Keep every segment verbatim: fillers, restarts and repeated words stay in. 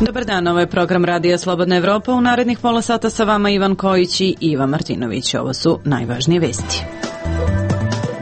Dobar dan, ovo je program Radija Slobodna Evropa. U narednih pola sata sa vama Ivan Kojić i Iva Martinović. Ovo su najvažnije vesti.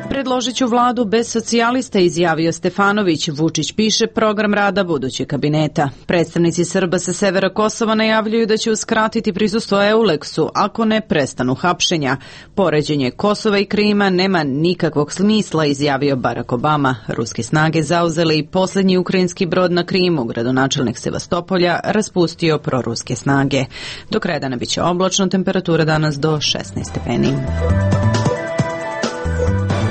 Predložit ću vladu bez socijalista, izjavio Stefanović. Vučić piše program rada budućeg kabineta. Predstavnici Srba sa severa Kosova najavljuju da će uskratiti prisustvo Euleksu ako ne prestanu hapšenja. Poređenje Kosova i Krima nema nikakvog smisla, izjavio Barack Obama. Ruske snage zauzele i posljednji ukrajinski brod na Krimu. Gradonačelnik Sevastopolja raspustio proruske snage. Do kraja dana biće oblačno, temperatura danas do šesnaest stepeni.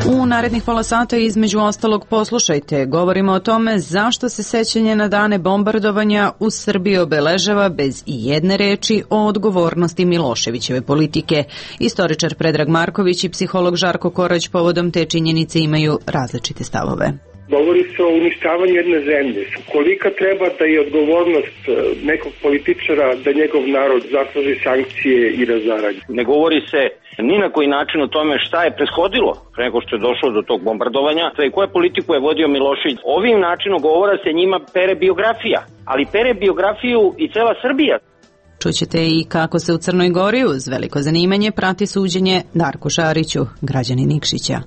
U narednih pola sata između ostalog poslušajte. Govorimo o tome zašto se sećanje na dane bombardovanja u Srbiji obeležava bez i jedne reči o odgovornosti Miloševićeve politike. Istoričar Predrag Marković i psiholog Žarko Korać povodom te činjenice imaju različite stavove. Govori se o uništavanju jedne zemlje. Kolika treba da je odgovornost nekog političara da njegov narod zasluži sankcije i razaranje? Ne govori se ni na koji način o tome šta je prethodilo pre nego što je došlo do tog bombardovanja i koje politiku je vodio Milošević. Ovim načinom govora se njima pere biografija, ali pere biografiju i cela Srbija. Čućete i kako se u Crnoj Gori uz veliko zanimanje prati suđenje Darku Šariću, građani Nikšića.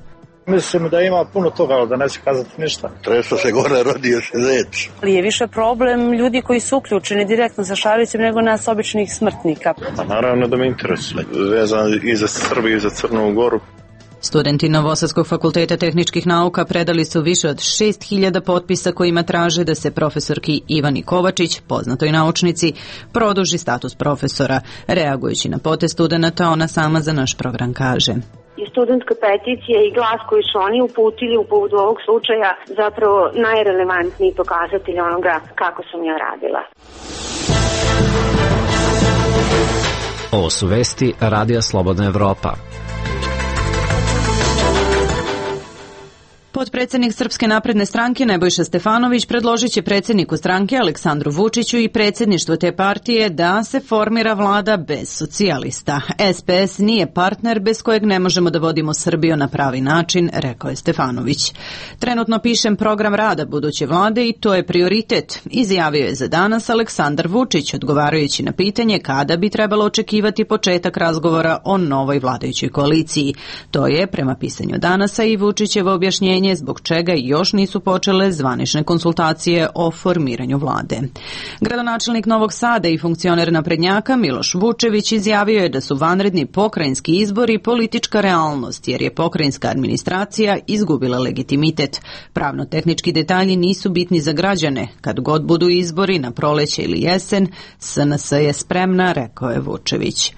Mislim da ima puno toga, ali da neće kazati ništa. Treso se gore, rodio se zec. Ali je više problem ljudi koji su uključeni direktno sa Šarićem nego nas običnih smrtnika. Pa naravno da me interesuje. Vezano i za Srbiju i za Crnu Goru. Studenti Novosadskog fakulteta tehničkih nauka predali su više od šest hiljada potpisa kojima traže da se profesorki Ivani Kovačić, poznatoj naučnici, produži status profesora. Reagujući na potez studenta, ona sama za naš program kaže: I studentska peticija i glas koji su oni uputili u povodu ovog slučaja zapravo najrelevantniji pokazatelj onoga kako sam ja radila. Ovo su vesti Radija Slobodna Evropa. Potpredsjednik Srpske napredne stranke Nebojša Stefanović predložit će predsjedniku stranke Aleksandru Vučiću i predsjedništvu te partije da se formira vlada bez socijalista. S P S nije partner bez kojeg ne možemo da vodimo Srbiju na pravi način, rekao je Stefanović. Trenutno pišem program rada buduće vlade i to je prioritet, izjavio je za danas Aleksandar Vučić, odgovarajući na pitanje kada bi trebalo očekivati početak razgovora o novoj vladajućoj koaliciji. To je, prema pisanju Danasa, i Vučićevo objašnjenje zbog čega još nisu počele zvanične konsultacije o formiranju vlade. Gradonačelnik Novog Sada i funkcioner naprednjaka Miloš Vučević izjavio je da su vanredni pokrajinski izbori politička realnost, jer je pokrajinska administracija izgubila legitimitet. Pravno-tehnički detalji nisu bitni za građane. Kad god budu izbori na proleće ili jesen, S N S je spremna, rekao je Vučević.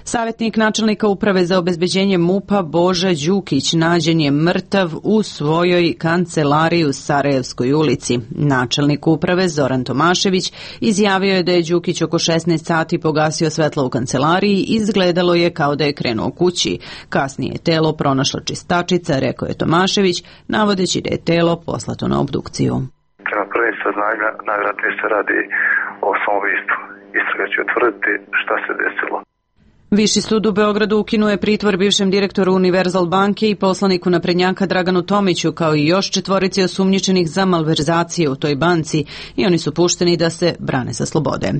Savjetnik načelnika uprave za obezbeđenje MUP-a Boža Đukić nađen je mrtav u svojoj kancelariji u Sarajevskoj ulici. Načelnik uprave Zoran Tomašević izjavio je da je Đukić oko šesnaest sati pogasio svetlo u kancelariji i izgledalo je kao da je krenuo kući. Kasnije je telo pronašla čistačica, rekao je Tomašević, navodeći da je telo poslato na obdukciju. Prema prvim saznanja najvjerojatnije se radi o samoubistvu. Istraga će utvrditi šta se desilo. Viši sud u Beogradu ukinuo je pritvor bivšem direktoru Univerzal banke i poslaniku naprednjaka Draganu Tomiću, kao i još četvorici osumnjičenih za malverzacije u toj banci, i oni su pušteni da se brane sa slobode.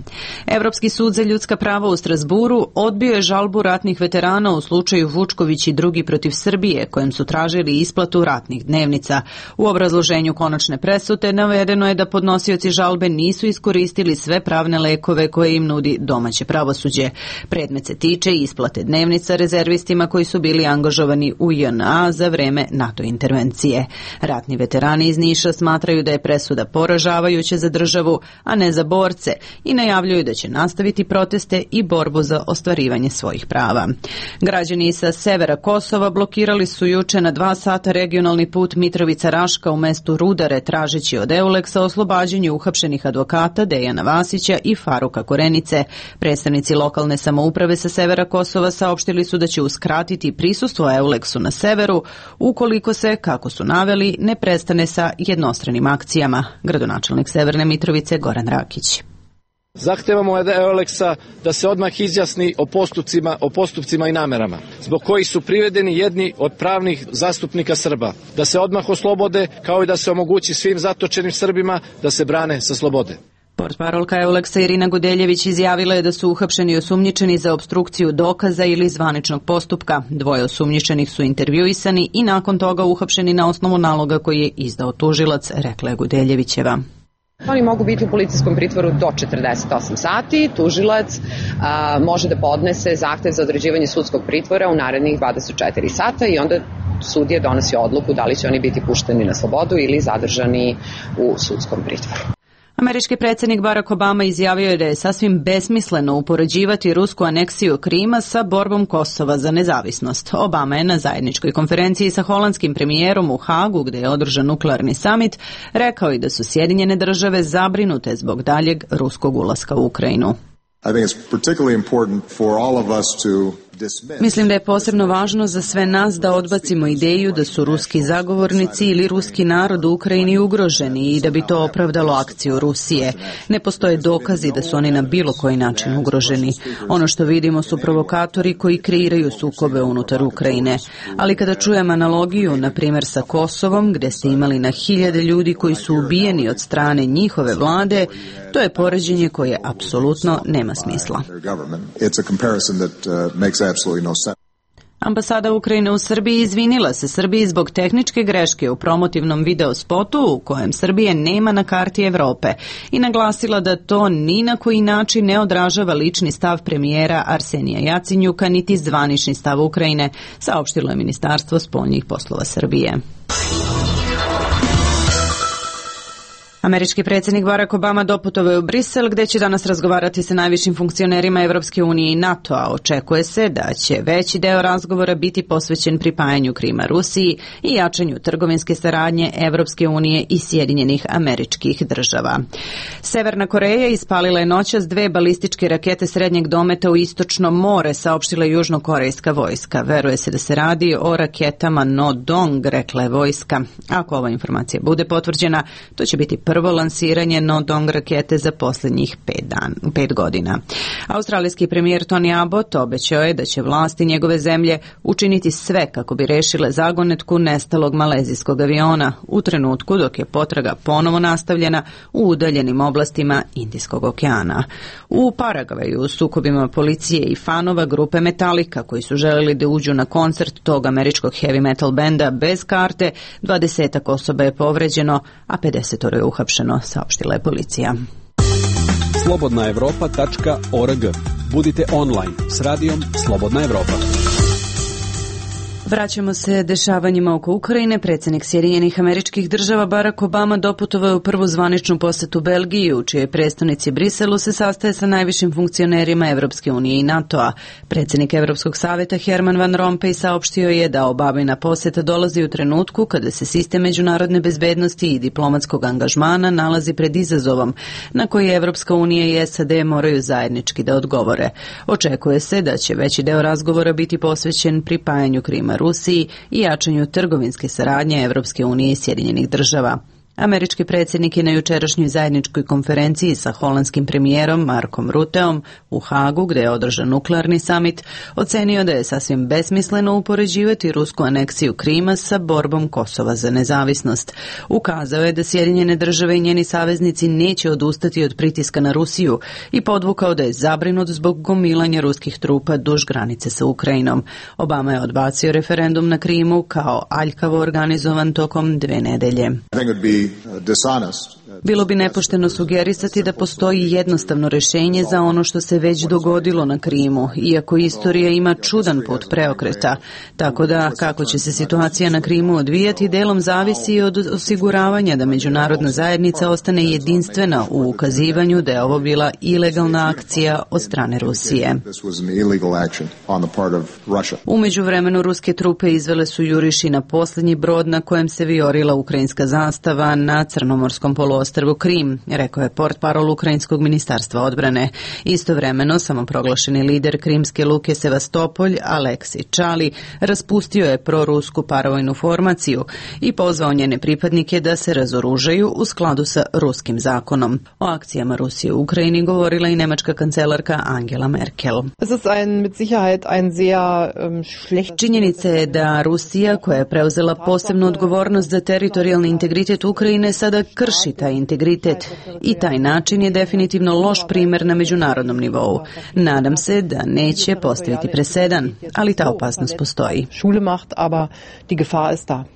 Evropski sud za ljudska prava u Strasburu odbio je žalbu ratnih veterana u slučaju Vučković i drugi protiv Srbije, kojem su tražili isplatu ratnih dnevnica. U obrazloženju konačne presude navedeno je da podnosioci žalbe nisu iskoristili sve pravne lekove koje im nudi domaće pravosuđe. Predmet se tiče isplate dnevnica rezervistima koji su bili angažovani u J N A za vreme NATO intervencije. Ratni veterani iz Niša smatraju da je presuda poražavajuća za državu, a ne za borce, i najavljuju da će nastaviti proteste i borbu za ostvarivanje svojih prava. Građani sa severa Kosova blokirali su juče na dva sata regionalni put Mitrovica-Raška u mestu Rudare, tražeći od Euleksa oslobađanje uhapšenih advokata Dejana Vasića i Faruka Korenice. Predstavnici lokalne samouprave sa severa Kosova saopštili su da će uskratiti prisustvo Euleksu na severu ukoliko se, kako su naveli, ne prestane sa jednostranim akcijama. Gradonačelnik Severne Mitrovice Goran Rakić. Zahtevamo od Euleksa da se odmah izjasni o postupcima, o postupcima i namerama, zbog kojih su privedeni jedni od pravnih zastupnika Srba, da se odmah oslobode, kao i da se omogući svim zatočenim Srbima da se brane sa slobode. Portparolka Euleksa Irina Gudeljević izjavila je da su uhapšeni osumnjičeni za opstrukciju dokaza ili zvaničnog postupka. Dvoje osumnjičenih su intervjuisani i nakon toga uhapšeni na osnovu naloga koji je izdao tužilac, rekla je Gudeljevićeva. Oni mogu biti u policijskom pritvoru do četrdeset osam sati. Tužilac a, može da podnese zahtev za određivanje sudskog pritvora u narednih dvadeset četiri sata i onda sudija donosi odluku da li će oni biti pušteni na slobodu ili zadržani u sudskom pritvoru. Američki predsjednik Barack Obama izjavio je da je sasvim besmisleno upoređivati rusku aneksiju Krima sa borbom Kosova za nezavisnost. Obama je na zajedničkoj konferenciji sa holandskim premijerom u Hagu, gde je održan nuklearni samit, rekao i da su Sjedinjene države zabrinute zbog daljeg ruskog ulaska u Ukrajinu. I think it's particularly important for all of us to Mislim da je posebno važno za sve nas da odbacimo ideju da su ruski zagovornici ili ruski narod u Ukrajini ugroženi i da bi to opravdalo akciju Rusije. Ne postoje dokazi da su oni na bilo koji način ugroženi. Ono što vidimo su provokatori koji kreiraju sukobe unutar Ukrajine. Ali kada čujem analogiju, na primjer sa Kosovom, gde ste imali na hiljade ljudi koji su ubijeni od strane njihove vlade, to je poređenje koje apsolutno nema smisla. Ambasada Ukrajine u Srbiji izvinila se Srbiji zbog tehničke greške u promotivnom video spotu u kojem Srbije nema na karti Evrope i naglasila da to ni na koji način ne odražava lični stav premijera Arsenija Jacinjuka niti zvanični stav Ukrajine, saopštilo je Ministarstvo spoljnih poslova Srbije. Američki predsjednik Barack Obama doputovao je u Brisel, gde će danas razgovarati sa najvišim funkcionerima Evropske unije i NATO-a. Očekuje se da će veći deo razgovora biti posvećen pripajanju Krima Rusiji i jačanju trgovinske saradnje Evropske unije i Sjedinjenih Američkih Država. Severna Koreja ispalila je noćas dve balističke rakete srednjeg dometa u istočno more, saopštila je južnokorejska vojska. Veruje se da se radi o raketama No-Dong, rekla je vojska. Ako ova informacija bude potvrđena, to će biti prvo lansiranje No-Dong rakete za posljednjih pet, dan, pet godina. Australijski premijer Tony Abbott obećao je da će vlasti njegove zemlje učiniti sve kako bi rešile zagonetku nestalog malezijskog aviona u trenutku dok je potraga ponovo nastavljena u udaljenim oblastima Indijskog okeana. U Paragvaju u sukobima policije i fanova grupe Metallica koji su želeli da uđu na koncert tog američkog heavy metal benda bez karte, dvadesetak osoba je povređeno, a pedesetoro je uhapšeno, saopštila je policija. slobodna evropa tačka org. Budite online s radijom Slobodna Evropa. Vraćamo se dešavanjima oko Ukrajine. Predsjednik Sjedinjenih Američkih Država Barack Obama doputovao u prvu zvaničnu posetu Belgiji, u čijoj prestonici Briselu se sastaje sa najvišim funkcionerima Evropske unije i NATO-a. Predsjednik Evropskog savjeta Herman Van Rompuy saopštio je da Obamina poseta dolazi u trenutku kada se sistem međunarodne bezbednosti i diplomatskog angažmana nalazi pred izazovom na koji Evropska unija i S A D moraju zajednički da odgovore. Očekuje se da će veći deo razgovora biti posvećen pripajanju Krima Rusiji i jačanju trgovinske saradnje Evropske unije i Sjedinjenih Država. Američki predsjednik je na jučerašnjoj zajedničkoj konferenciji sa holandskim premijerom Markom Rutteom u Hagu, gde je održan nuklearni samit, ocenio da je sasvim besmisleno upoređivati rusku aneksiju Krima sa borbom Kosova za nezavisnost. Ukazao je da Sjedinjene Države i njeni saveznici neće odustati od pritiska na Rusiju i podvukao da je zabrinut zbog gomilanja ruskih trupa duž granice sa Ukrajinom. Obama je odbacio referendum na Krimu kao aljkavo organizovan tokom dve nedelje. Bilo bi nepošteno sugerisati da postoji jednostavno rješenje za ono što se već dogodilo na Krimu, iako istorija ima čudan put preokreta. Tako da, kako će se situacija na Krimu odvijati, delom zavisi od osiguravanja da međunarodna zajednica ostane jedinstvena u ukazivanju da je ovo bila ilegalna akcija od strane Rusije. U međuvremenu ruske trupe izvele su juriši na posljednji brod na kojem se vijorila ukrajinska zastava na Crnomorskom poluostrvu Krim, rekao je portparol Ukrajinskog ministarstva odbrane. Istovremeno, samoproglašeni lider krimske luke Sevastopolj, Aleksij Čali, raspustio je prorusku paravojnu formaciju i pozvao njene pripadnike da se razoružaju u skladu sa ruskim zakonom. O akcijama Rusije u Ukrajini govorila i nemačka kancelarka Angela Merkel. Činjenica je da Rusija, koja je preuzela posebnu odgovornost za teritorijalni integritet Ukrajine, sada krši taj integritet i taj način je definitivno loš primer na međunarodnom nivou. Nadam se da neće postaviti presedan, ali ta opasnost postoji.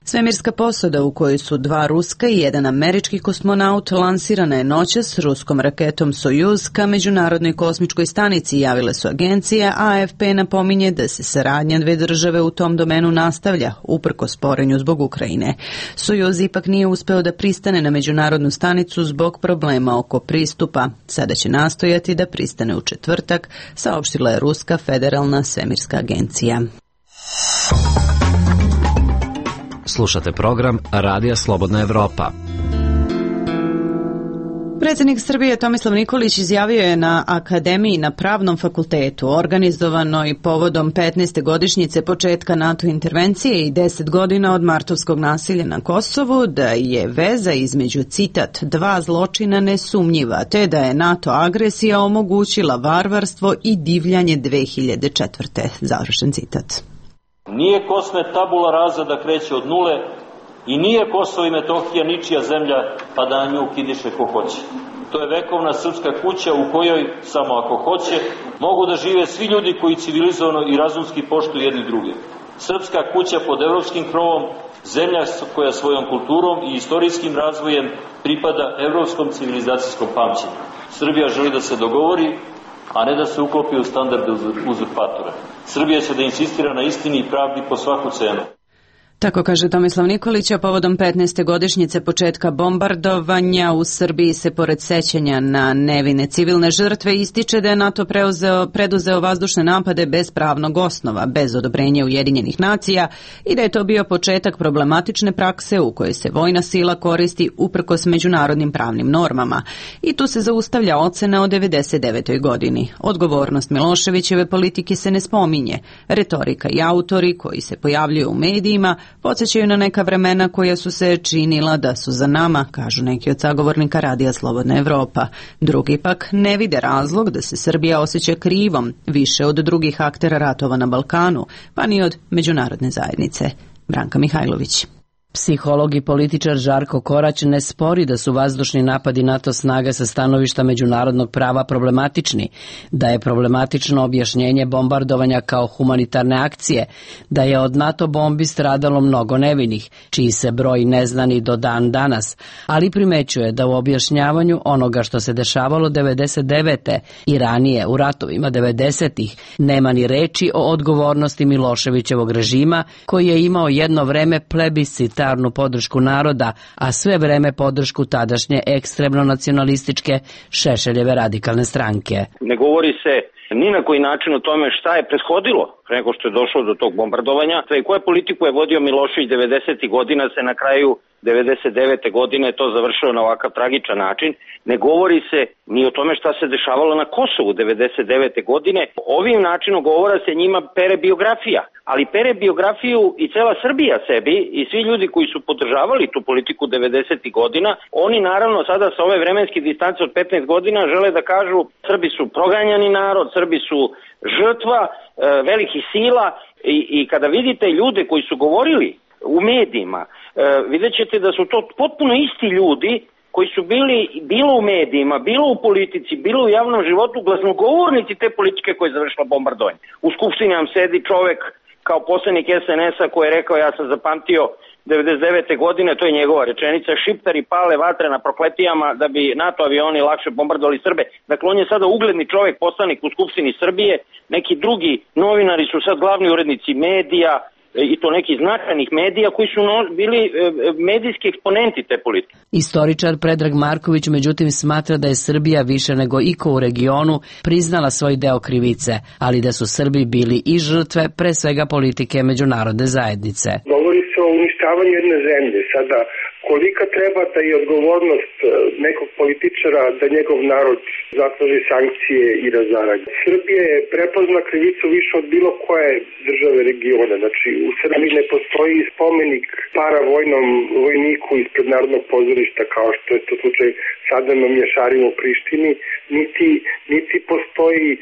Svemirska posada u kojoj su dva ruska i jedan američki kosmonaut lansirana je noćas s ruskom raketom Sojuz ka međunarodnoj kosmičkoj stanici, javile su agencije, a A F P napominje da se saradnja dve države u tom domenu nastavlja, uprko sporenju zbog Ukrajine. Sojuz ipak nije uspeo da pristane na međunarodnu stanicu zbog problema oko pristupa. Sada će nastojati da pristane u četvrtak, saopštila je Ruska federalna svemirska agencija. Slušate program Radija Slobodna Evropa. Predsjednik Srbije Tomislav Nikolić izjavio je na Akademiji na Pravnom fakultetu, organizovanoj povodom petnaeste godišnjice početka NATO intervencije i deset godina od martovskog nasilja na Kosovu, da je veza između, citat, dva zločina nesumnjiva, te da je NATO agresija omogućila varvarstvo i divljanje dve hiljade četvrte. Završen citat. Nije Kosmet tabula rasa da kreće od nule i nije Kosovo i Metohija ničija zemlja pa da na nju kidiše ko hoće. To je vekovna srpska kuća u kojoj, samo ako hoće, mogu da žive svi ljudi koji civilizovano i razumski poštuju jedni druge. Srpska kuća pod evropskim krovom, zemlja koja svojom kulturom i istorijskim razvojem pripada evropskom civilizacijskom pamćenju. Srbija želi da se dogovori, a ne da se uklopi u standarde uzurpatora. Srbija će da insistira na istini i pravdi po svaku cenu. Tako kaže Tomislav Nikolić, a povodom petnaeste godišnjice početka bombardovanja u Srbiji se pored sećanja na nevine civilne žrtve ističe da je NATO preuzeo, preduzeo vazdušne napade bez pravnog osnova, bez odobrenja Ujedinjenih nacija i da je to bio početak problematične prakse u kojoj se vojna sila koristi uprkos međunarodnim pravnim normama. I tu se zaustavlja ocena o devedeset devetoj godini. Odgovornost Miloševićeve politike se ne spominje. Retorika i autori koji se pojavljuju u medijima podsjećaju na neka vremena koja su se činila da su za nama, kažu neki od sagovornika Radija Slobodna Evropa. Drugi pak ne vide razlog da se Srbija osjeća krivom, više od drugih aktera ratova na Balkanu, pa ni od međunarodne zajednice. Branka Mihajlović. Psiholog i političar Žarko Korać ne spori da su vazdušni napadi NATO snaga sa stanovišta međunarodnog prava problematični, da je problematično objašnjenje bombardovanja kao humanitarne akcije, da je od NATO bombi stradalo mnogo nevinih, čiji se broj ne zna ni do dan danas, ali primećuje da u objašnjavanju onoga što se dešavalo devedeset devete i ranije u ratovima devedesetih nema ni reči o odgovornosti Miloševićevog režima, koji je imao jedno vreme plebiscita podršku naroda, a sve vreme podršku tadašnje ekstremno nacionalističke Šešeljeve radikalne stranke. Ne govori se ni na koji način o tome šta je prethodilo pre nego što je došlo do tog bombardovanja i koje politiku je vodio Milošević devedesetih godina, se na kraju devedeset devete godine to završilo na ovakav tragičan način. Ne govori se ni o tome šta se dešavalo na Kosovu devedeset devete godine. Ovim načinom govora se njima pere biografija, ali pere biografiju i cela Srbija sebi i svi ljudi koji su podržavali tu politiku devedesetih godina. Oni naravno sada sa ove vremenske distance od petnaest godina žele da kažu Srbi su proganjani narod, Srbi su žrtva e, velikih sila i, i kada vidite ljude koji su govorili u medijima, e, vidjet ćete da su to potpuno isti ljudi koji su bili bilo u medijima, bilo u politici, bilo u javnom životu glasnogovornici te politike koje je završila bombardovanje. U skupštini nam sedi čovek kao poslanik es en es a koji je rekao, ja sam zapamtio devedeset devete godine, to je njegova rečenica, šiptari pale vatre na prokletijama da bi NATO avioni lakše bombardovali Srbe. Dakle, on je sada ugledni čovek, poslanik u Skupštini Srbije, neki drugi novinari su sad glavni urednici medija, i to nekih značajnih medija koji su no, bili e, medijski eksponenti te politike. Istoričar Predrag Marković međutim smatra da je Srbija više nego iko u regionu priznala svoj deo krivice, ali da su Srbi bili i žrtve pre svega politike međunarodne zajednice. Govori se o uništavanju jedne zemlje. Sada, kolika treba da je odgovornost nekog političara da njegov narod zatraži sankcije i razaranje. Srbija je prepozna krivicu više od bilo koje države regiona. Znači, u Srbiji ne postoji spomenik paravojnom vojniku ispred Narodnog pozorišta, kao što je to slučaj sada na Mješarima u Prištini, niti, niti postoji e,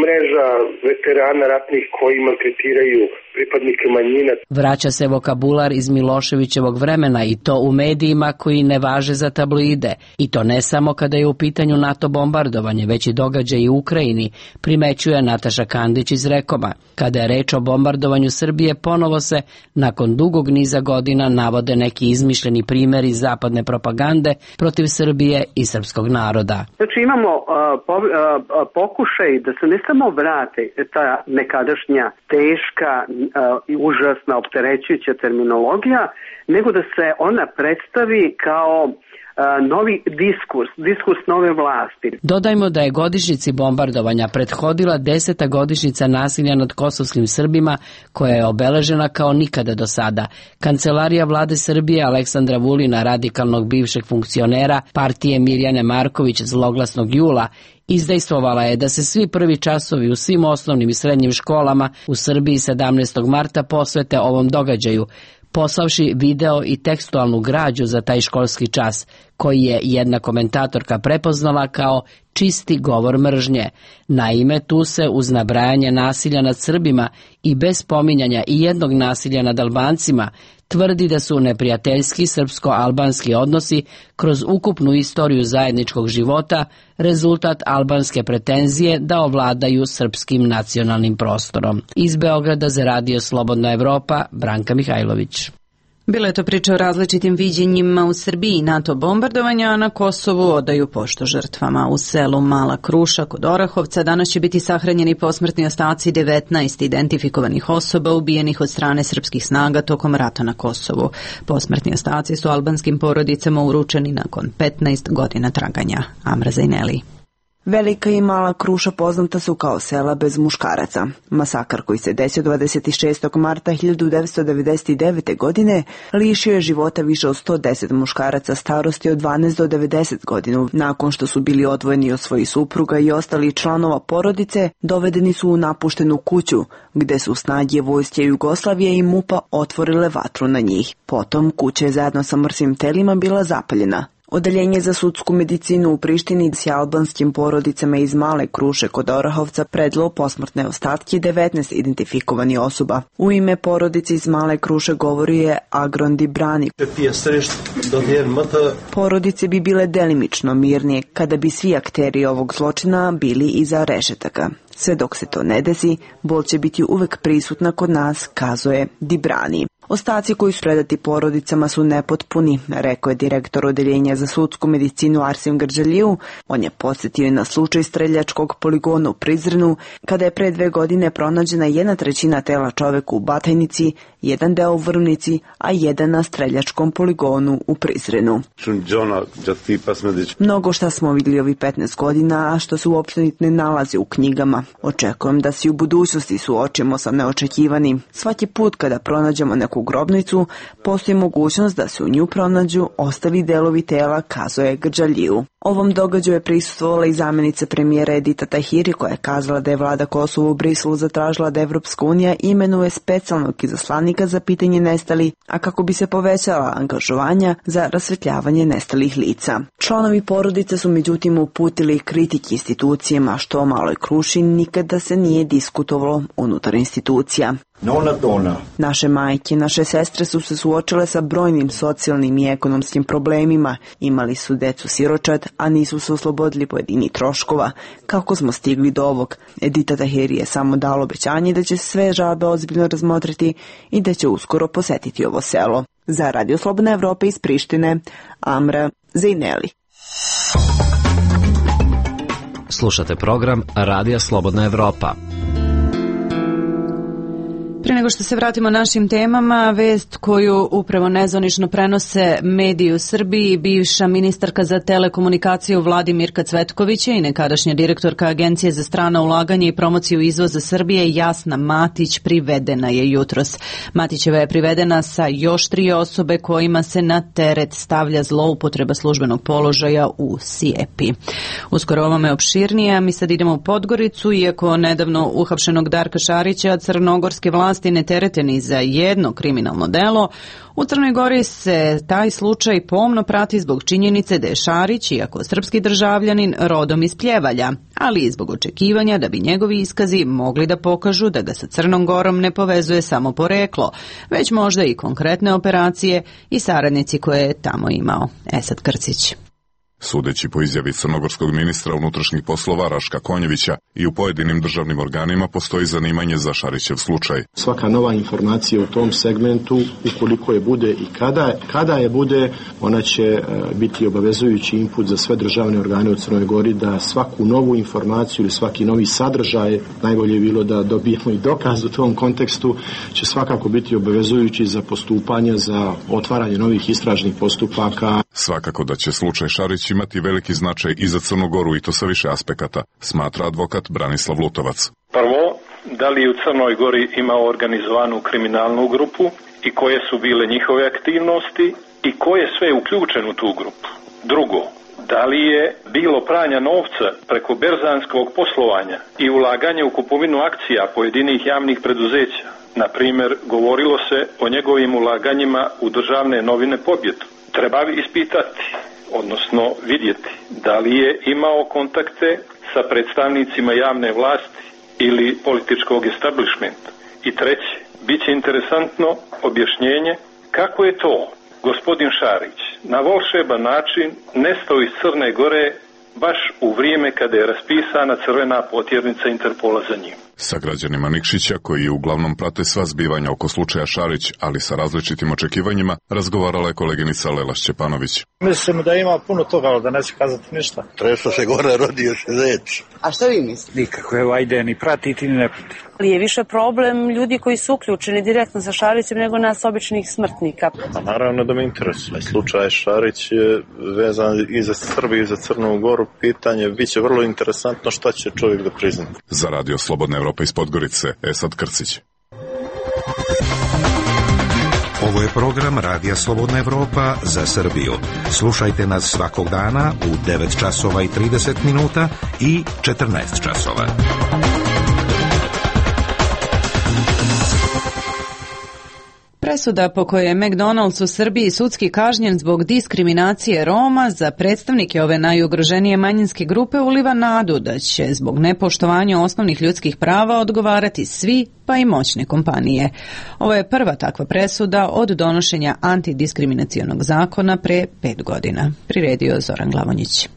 mreža veterana ratnih koji maltretiraju pripadnike manjina. Vraća se vokabular iz Miloševićevog vremena i to u medijima koji ne važe za tabloide. I to ne samo kada je u pitanju NATO bombardovanje, već i događaj u Ukrajini, primećuje Nataša Kandić iz Rekoma. Kada je reč o bombardovanju Srbije, ponovo se, nakon dugog niza godina, navode neki izmišljeni primjeri zapadne propagande protiv Srbije i srpskog naroda. Znači imamo uh, po, uh, pokušaj da se ne samo vrate ta nekadašnja teška i užasna opterećujuća terminologija, nego da se ona predstavi kao novi diskurs, diskurs nove vlasti. Dodajmo da je godišnjici bombardovanja prethodila deseta godišnjica nasilja nad kosovskim Srbima, koja je obeležena kao nikada do sada. Kancelarija vlade Srbije Aleksandra Vulina, radikalnog bivšeg funkcionera partije Mirjane Marković zloglasnog jula, izdejstvovala je da se svi prvi časovi u svim osnovnim i srednjim školama u Srbiji sedamnaestog marta posvete ovom događaju, poslavši video i tekstualnu građu za taj školski čas, koji je jedna komentatorka prepoznala kao čisti govor mržnje. Naime, tu se uz nabrajanje nasilja nad Srbima i bez spominjanja i jednog nasilja nad Albancima tvrdi da su neprijateljski srpsko-albanski odnosi kroz ukupnu istoriju zajedničkog života rezultat albanske pretenzije da ovladaju srpskim nacionalnim prostorom. Iz Beograda za radio Slobodna Evropa, Branka Mihajlović. Bila je to priča o različitim viđenjima u Srbiji NATO bombardovanja, a na Kosovu odaju poštu žrtvama. U selu Mala Kruša kod Orahovca danas će biti sahranjeni posmrtni ostaci devetnaest identifikovanih osoba ubijenih od strane srpskih snaga tokom rata na Kosovu. Posmrtni ostaci su albanskim porodicama uručeni nakon petnaest godina traganja. Amra Zajneli. Velika i Mala Kruša poznata su kao sela bez muškaraca. Masakar koji se desio dvadeset šestog marta hiljadu devetsto devedeset devete. godine lišio je života više od sto deset muškaraca starosti od dvanaest do devedeset godina. Nakon što su bili odvojeni od svojih supruga i ostali članova porodice, dovedeni su u napuštenu kuću, gde su snage vojske Jugoslavije i MUP-a otvorile vatru na njih. Potom kuća je zajedno sa mrtvim telima bila zapaljena. Odeljenje za sudsku medicinu u Prištini s albanskim porodicama iz Male Kruše kod Orahovca predalo posmrtne ostatke devetnaest identifikovani osoba. U ime porodice iz Male Kruše govori je Agron Dibrani. Porodice bi bile delimično mirnije kada bi svi akteri ovog zločina bili iza rešetaka. Sve dok se to ne desi, bol će biti uvek prisutna kod nas, kazuje Dibrani. Ostaci koji su predati porodicama su nepotpuni, rekao je direktor odeljenja za sudsku medicinu Arsim Grđaliju. On je podsjetio na slučaj streljačkog poligona u Prizrenu, kada je pre dve godine pronađena jedna trećina tela čoveka u Batajnici, jedan deo u Vrvnici, a jedan na streljačkom poligonu u Prizrenu. Mnogo šta smo vidjeli ovih petnaest godina, a što se uopšte ne nalazi u knjigama. Očekujem da se u budućnosti suočimo sa neočekivanim. Svaki put kada pronađemo neku grobnicu, postoji mogućnost da se u nju pronađu ostali delovi tela, kazuje Grđaliju. Ovom događaju je prisustvovala i zamjenica premijera Edita Tahiri, koja je kazala da je vlada Kosova u Briselu zatražila da Evropska unija imenuje specijalnog izaslanika za pitanje nestali, a kako bi se povećala angažovanja za rasvetljavanje nestalih lica. Članovi porodice su međutim uputili kritike institucijama, što o Maloj Kruši nikada se nije diskutovalo unutar institucija. Naše majke, naše sestre su se suočile sa brojnim socijalnim i ekonomskim problemima, imali su decu siročad, a nisu se oslobodili pojedini troškova. Kako smo stigli do ovog? Edita Tahiri je samo dalo obećanje da će sve žalbe ozbiljno razmotriti i da će uskoro posetiti ovo selo. Za Radio Slobodna Evropa iz Prištine, Amra Zajneli. Slušate program Radija Slobodna Evropa. Prije nego što se vratimo našim temama, vest koju upravo nezvanično prenose mediji u Srbiji, bivša ministarka za telekomunikaciju vladi Mirka Cvetkovića i nekadašnja direktorka Agencije za strana ulaganja i promociju izvoza Srbije Jasna Matić privedena je jutros. Matićeva je privedena sa još tri osobe kojima se na teret stavlja zloupotreba službenog položaja u Sijepi. Uskoro ovome opširnije, mi sad idemo u Podgoricu, iako nedavno uhapšenog Darka Šarića crnogorske vlasti vlasti ne terete ni za jedno kriminalno delo, u Crnoj Gori se taj slučaj pomno prati zbog činjenice da je Šarić, iako srpski državljanin, rodom iz Pljevalja, ali i zbog očekivanja da bi njegovi iskazi mogli da pokažu da ga sa Crnom Gorom ne povezuje samo poreklo, već možda i konkretne operacije i saradnici koje je tamo imao. Esad Krcić. Sudeći po izjavi crnogorskog ministra unutrašnjih poslova Raška Konjevića, i u pojedinim državnim organima postoji zanimanje za Šarićev slučaj. Svaka nova informacija u tom segmentu, ukoliko je bude i kada, kada je bude, ona će biti obavezujući input za sve državne organe u Crnoj Gori da svaku novu informaciju ili svaki novi sadržaj, najbolje je bilo da dobijemo i dokaz u tom kontekstu, će svakako biti obavezujući za postupanje, za otvaranje novih istražnih postupaka. Svakako da će slučaj Šarić imati veliki značaj i za Crnu Goru, i to sa više aspekata, smatra advokat Branislav Lutovac. Prvo, da li u Crnoj Gori ima organizovanu kriminalnu grupu i koje su bile njihove aktivnosti i ko je sve uključen u tu grupu. Drugo, da li je bilo pranja novca preko berzanskog poslovanja i ulaganje u kupovinu akcija pojedinih javnih preduzeća. Na primjer, govorilo se o njegovim ulaganjima u državne novine Pobjedu. Treba ispitati, odnosno vidjeti da li je imao kontakte sa predstavnicima javne vlasti ili političkog establishmenta. I treće, bit će interesantno objašnjenje kako je to gospodin Šarić na volšeban način nestao iz Crne Gore baš u vrijeme kada je raspisana crvena potjernica Interpola za njim. Sa građanima Nikšića, koji uglavnom prate sva zbivanja oko slučaja Šarić, ali sa različitim očekivanjima, razgovarala je koleginica Lela Šćepanović. Mislim da ima puno toga, ali da neće kazati ništa. Tresto se gore rodio se zec. A što vi mislite? Nikako, evo, ajde, ni pratiti, ni ne pratiti. Ali je više problem ljudi koji su uključeni direktno sa Šarićem nego nas običnih smrtnika. Pa naravno da me interesuje. Slučaj Šarić je vezan i za Srbiju i za Crnu Goru. Pitanje biće vrlo interesantno šta će čovjek da prizna. Za radio Slobodna Evropa iz Podgorice, Esad Krcić. Ovo je program Radija Slobodna Evropa za Srbiju. Slušajte nas svakog dana u devet časova i trideset minuta i četrnaest časova. Presuda po kojoj je McDonald's u Srbiji sudski kažnjen zbog diskriminacije Roma za predstavnike ove najugroženije manjinske grupe uliva nadu da će zbog nepoštovanja osnovnih ljudskih prava odgovarati svi, pa i moćne kompanije. Ovo je prva takva presuda od donošenja antidiskriminacionog zakona pre pet godina. Priredio Zoran Glavonjić.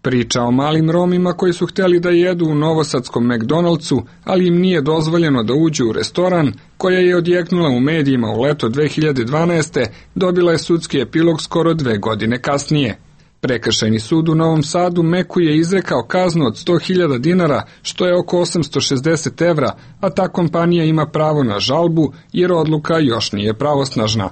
Priča o malim Romima koji su htjeli da jedu u novosadskom McDonald'su, ali im nije dozvoljeno da uđu u restoran, koja je odjeknula u medijima u leto dve hiljade dvanaeste, dobila je sudski epilog skoro dve godine kasnije. Prekršajni sud u Novom Sadu Meku je izrekao kaznu od sto hiljada dinara, što je oko osamsto šezdeset evra, a ta kompanija ima pravo na žalbu jer odluka još nije pravosnažna.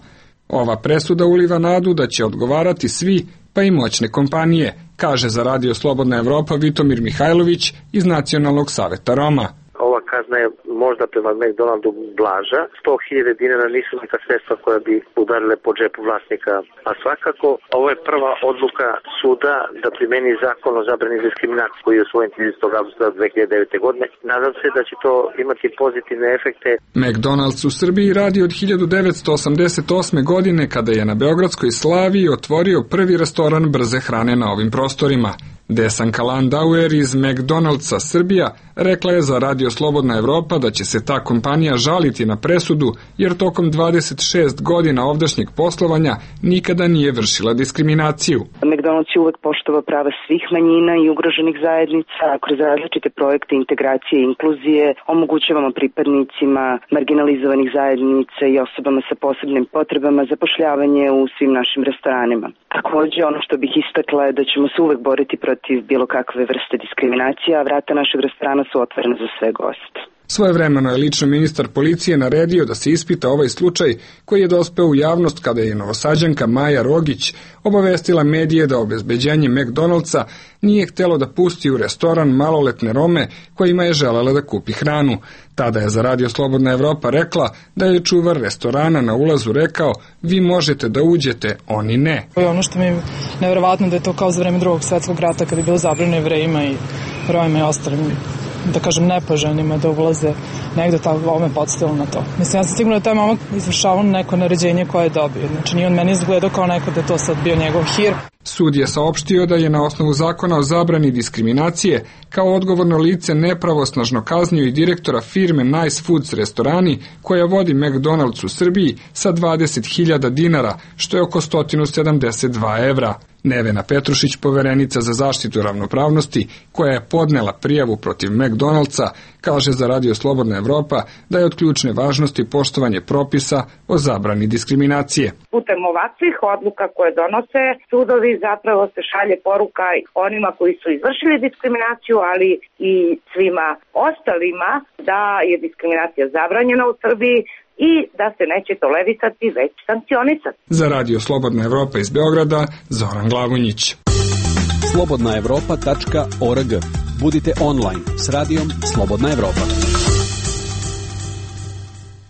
Ova presuda uliva nadu da će odgovarati svi, pa i moćne kompanije, kaže za Radio Slobodna Evropa Vitomir Mihajlović iz Nacionalnog saveta Roma. Ova kazna je možda prema McDonaldu blaža. sto hiljada dinara nisu neka sredstva koja bi udarile po džepu vlasnika. A svakako, ovo je prva odluka suda da primeni zakon o zabrani diskriminacije koji je usvojen tridesetog avgusta dve hiljade devete. godine. Nadam se da će to imati pozitivne efekte. McDonald's u Srbiji radi od hiljadu devetsto osamdeset osme. godine kada je na Beogradskoj Slaviji otvorio prvi restoran brze hrane na ovim prostorima. Desanka Landauer iz McDonald'sa Srbija rekla je za Radio Slobodna Evropa da će se ta kompanija žaliti na presudu jer tokom dvadeset šest godina ovdašnjeg poslovanja nikada nije vršila diskriminaciju. McDonald's je uvek poštovao prava svih manjina i ugroženih zajednica, a kroz različite projekte integracije i inkluzije omogućavamo pripadnicima marginalizovanih zajednica i osobama sa posebnim potrebama zapošljavanje u svim našim restoranima. Takođe, ono što bih istakla je da ćemo se uvek boriti protiv bilo kakve vrste diskriminacije, a vrata našeg restorana su otvorena za sve goste. Svojevremeno je lično ministar policije naredio da se ispita ovaj slučaj koji je dospeo u javnost kada je novosađanka Maja Rogić obavestila medije da obezbeđenje McDonald'sa nije htjelo da pusti u restoran maloletne Rome kojima je želela da kupi hranu. Tada je za Radio Slobodna Evropa rekla da je čuvar restorana na ulazu rekao: vi možete da uđete, oni ne. Ono što mi je nevjerovatno da je to kao za vreme drugog svjetskog rata kada je bilo zabranjeno Jevrejima i Romima i ostalim da kažem, nepoželjnima da ulaze negde tako, ovo me podsjetilo na to. Mislim, ja sam sigurno da taj momak izvršavao neko naređenje koje je dobio. Znači, nije on meni izgledao kao neko da je to sad bio njegov hir. Sud je saopštio da je na osnovu zakona o zabrani diskriminacije kao odgovorno lice nepravosnažno kaznio i direktora firme Nice Foods restorani koja vodi McDonald's u Srbiji sa dvadeset hiljada dinara, što je oko sto sedamdeset dva evra. Nevena Petrušić, poverenica za zaštitu ravnopravnosti, koja je podnela prijavu protiv McDonald'sa, kaže za Radio Slobodna Evropa da je od ključne važnosti poštovanje propisa o zabrani diskriminacije. Putem ovakvih odluka koje donose sudovi zapravo se šalje poruka onima koji su izvršili diskriminaciju, ali i svima ostalima da je diskriminacija zabranjena u Srbiji i da se neće tolerisati, već sankcionisati. Za Radio Slobodna Evropa iz Beograda, Zoran Glavonjić. slobodna evropa tačka org. Budite online s radijom Slobodna Evropa.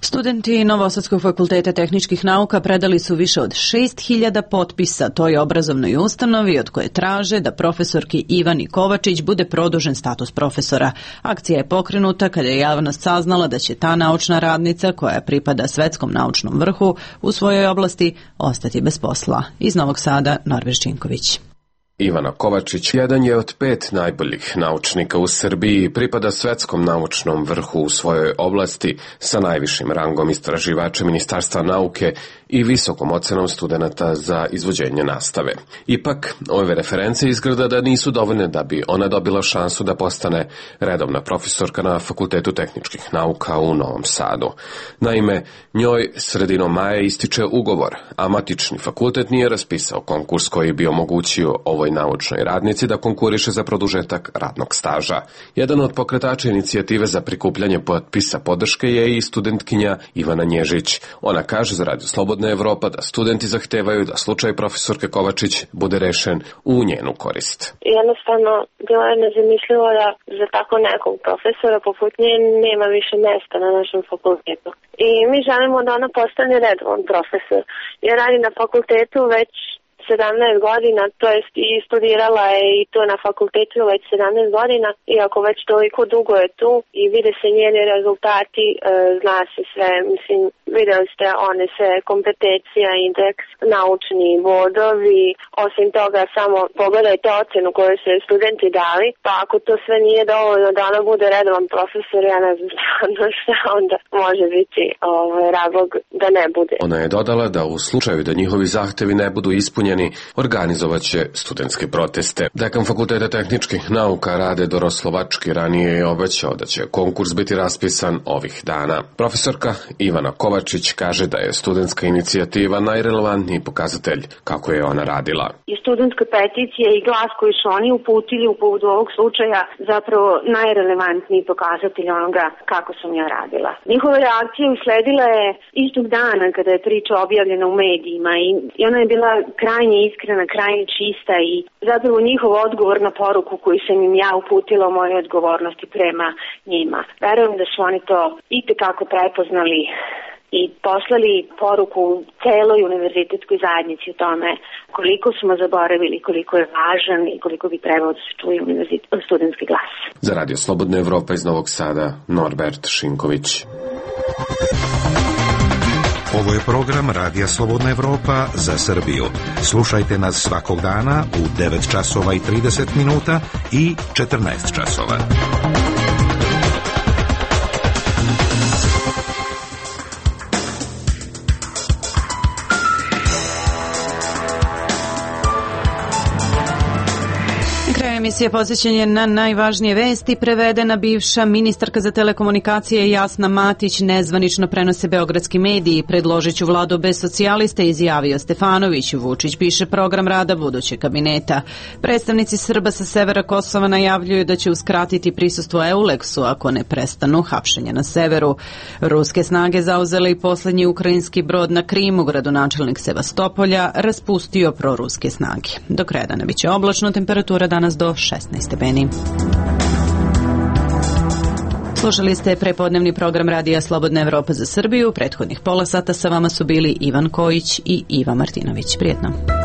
Studenti Novosadskog fakulteta tehničkih nauka predali su više od šest hiljada potpisa toj obrazovnoj ustanovi od koje traže da profesorki Ivani Kovačić bude produžen status profesora. Akcija je pokrenuta kada je javnost saznala da će ta naučna radnica, koja pripada svetskom naučnom vrhu u svojoj oblasti, ostati bez posla. Iz Novog Sada, Norveš Činković. Ivana Kovačić jedan je od pet najboljih naučnika u Srbiji i pripada svetskom naučnom vrhu u svojoj oblasti sa najvišim rangom istraživača Ministarstva nauke i visokom ocenom studenata za izvođenje nastave. Ipak, ove reference izgleda da nisu dovoljne da bi ona dobila šansu da postane redovna profesorka na Fakultetu tehničkih nauka u Novom Sadu. Naime, njoj sredinom maja ističe ugovor, a matični fakultet nije raspisao konkurs koji bi omogućio ovoj naučnoj radnici da konkuriše za produžetak radnog staža. Jedan od pokretača inicijative za prikupljanje potpisa podrške je i studentkinja Ivana Nježić. Ona kaže za Radio Slobodna Evropa da studenti zahtevaju da slučaj profesorke Kovačić bude rešen u njenu korist. Jednostavno, bilo je nezamislivo da za tako nekog profesora poput nje nema više mesta na našem fakultetu. I mi želimo da ona postane redovan profesor. Ja radim na fakultetu već sedamnaest godina, to jest i studirala je i to na fakultetu već sedamnaest godina, iako već toliko dugo je tu i vide se njeni rezultati, e, zna se sve, mislim, videli ste one sve kompetencija, indeks, naučni bodovi, osim toga samo pogledajte ocenu koju su studenti dali, pa ako to sve nije dovoljno da ona bude redovan profesor, ja ne znam stvarno šta onda može biti ovaj, razlog da ne bude. Ona je dodala da u slučaju da njihovi zahtevi ne budu ispunjeni, organizovaće studentske proteste. Dekan Fakulteta tehničkih nauka Rade Doroslovački ranije je obećao da će konkurs biti raspisan ovih dana. Profesorka Ivana Kovačić kaže da je studentska inicijativa najrelevantniji pokazatelj kako je ona radila. I studentska peticija i glas koji su oni uputili u povodu ovog slučaja zapravo najrelevantniji pokazatelj onoga kako sam ja radila. Njihova reakcija usledila je istog dana kada je priča objavljena u medijima i, i ona je bila krajnje iskrena, krajnje čista i zapravo njihov odgovor na poruku koju sam im ja uputila o mojoj odgovornosti prema njima. Verujem da su oni to itekako prepoznali i poslali poruku celoj univerzitetskoj zajednici o tome koliko smo zaboravili, koliko je važan i koliko bi trebao da se čuje studentski glas. Za Radio Slobodna Evropa iz Novog Sada, Norbert Šinković. Ovo je program Radija Slobodna Evropa za Srbiju. Slušajte nas svakog dana u devet časova i trideset minuta i četrnaest časova. Emisija posvećena na najvažnije vesti. Prevedena bivša ministarka za telekomunikacije Jasna Matić nezvanično prenose beogradski mediji. Predložit ću vladu bez socijalista, izjavio Stefanović. Vučić piše program rada budućeg kabineta. Predstavnici Srba sa severa Kosova najavljuju da će uskratiti prisustvo Euleksu ako ne prestanu hapšenja na severu. Ruske snage zauzele i poslednji ukrajinski brod na Krimu. Gradonačelnik Sevastopolja raspustio proruske snage. Do kraja dana biće oblačno, temperatura danas do šesnaest stepeni. Slušali ste prepodnevni program Radija Slobodna Evropa za Srbiju. Prethodnih pola sata sa vama su bili Ivan Kojić i Iva Martinović. Prijetno.